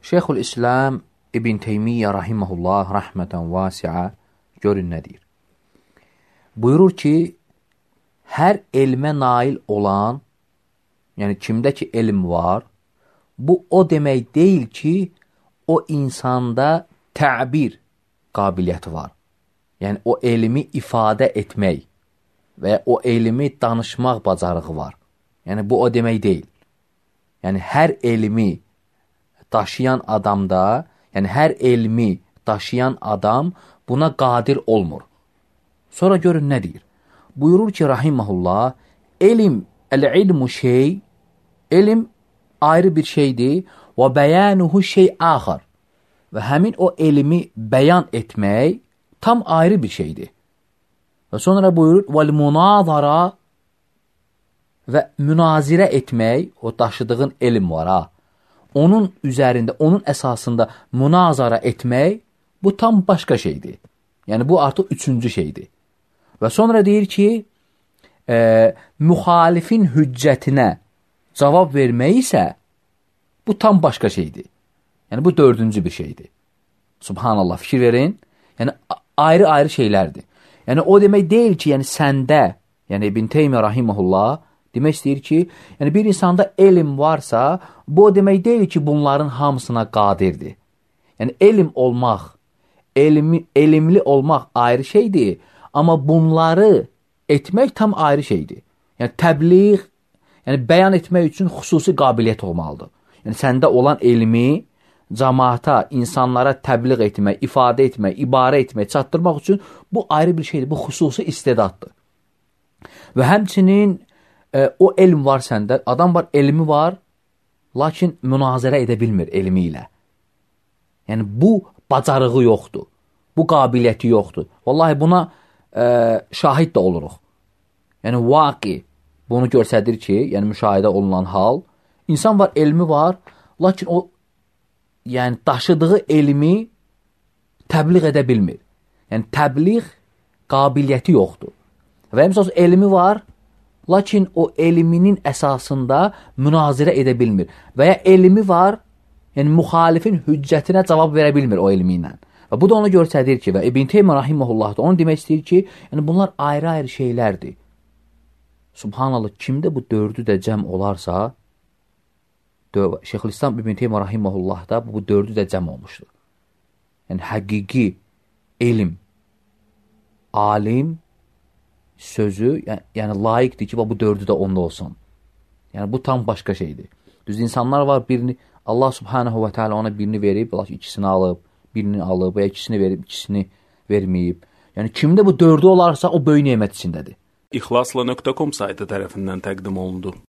Şeyxülislam İbn Teymiyyə rahimehullah rəhmətən vasi'a görün nə deyir. Buyurur ki, hər elmə nail olan, yəni kimdə ki elm var, bu o demək deyil ki, o insanda təbir qabiliyyəti var. Yəni o elmi ifadə etmək və o elmi danışmaq bacarığı var. Yəni bu o demək deyil. Yəni hər elmi daşıyan adamda, yəni hər elmi daşıyan adam buna qadir olmur. Sonra görün nə deyir. Buyurur ki, rahiməhullah, el-ilmu şey, elm ayrı bir şeydir və bəyanuhu şey axar. Və həmin o elmi bəyan etmək tam ayrı bir şeydir. Və sonra buyurur, vəl-munazara və münazirə etmək, o daşıdığın elm var ha. Onun üzərində, onun əsasında münazara etmək, bu tam başqa şeydir. Yəni bu artıq üçüncü şeydir. Və sonra deyir ki, müxalifin hüccətinə cavab vermək isə bu tam başqa şeydir. Yəni bu dördüncü bir şeydir. Subhanallah, fikir verin. Yəni ayrı-ayrı şeylərdir. Yəni o demək deyil ki, yəni səndə, yəni İbn Teymiyyə rahimehullah demək istəyir ki, yəni bir insanda elm varsa, bu o demək deyil ki, bunların hamısına qadirdir. Yəni elm olmaq, elmli olmaq ayrı şeydir, amma bunları etmək tam ayrı şeydir. Yəni təbliğ, yəni bəyan etmək üçün xüsusi qabiliyyət olmalıdır. Yəni səndə olan elmi cəmaata, insanlara təbliğ etmək, ifadə etmək, ibarə etmək, çatdırmaq üçün bu ayrı bir şeydir, bu xüsusi istedaddır. Və həmçinin o elm var səndə, adam var, elmi var, lakin münazirə edə bilmir elmi ilə. Yəni bu bacarığı yoxdur, bu qabiliyyəti yoxdur. Vallahi buna şahid də oluruq. Yəni vaqi bunu göstərir ki, yəni müşahidə olunan hal, insan var, elmi var, lakin o yəni daşıdığı elmi təbliğ edə bilmir. Yəni təbliğ qabiliyyəti yoxdur. Və məsələn elmi var, lakin o elminin əsasında münazirə edə bilmir. Və ya elmi var, yəni müxalifin hüccətinə cavab verə bilmir o elmi ilə. Və bu da onu göstərir ki, və İbn Teymiyyə rahimehullah da onu demək istəyir ki, yəni bunlar ayrı-ayrı şeylərdir. Subhanallah, kimdə bu dördü də cəm olarsa, Şeyxülislam İbn Teymiyyə rahimehullah da bu dördü də cəm olmuşdur. Yəni həqiqi elm, alim sözü, yəni layiqdir ki, bu dördü də onda olsun. Yəni bu tam başqa şeydir. Düz insanlar var, birini Allah subhanahu və teala ona birini verib, ikisini alıb, birini alıb, və ikisini verib, ikisini verməyib. Yəni kimdə bu dördü olarsa, o böyük nemət içindədir. İxlasla.com saytı tərəfindən təqdim olundu.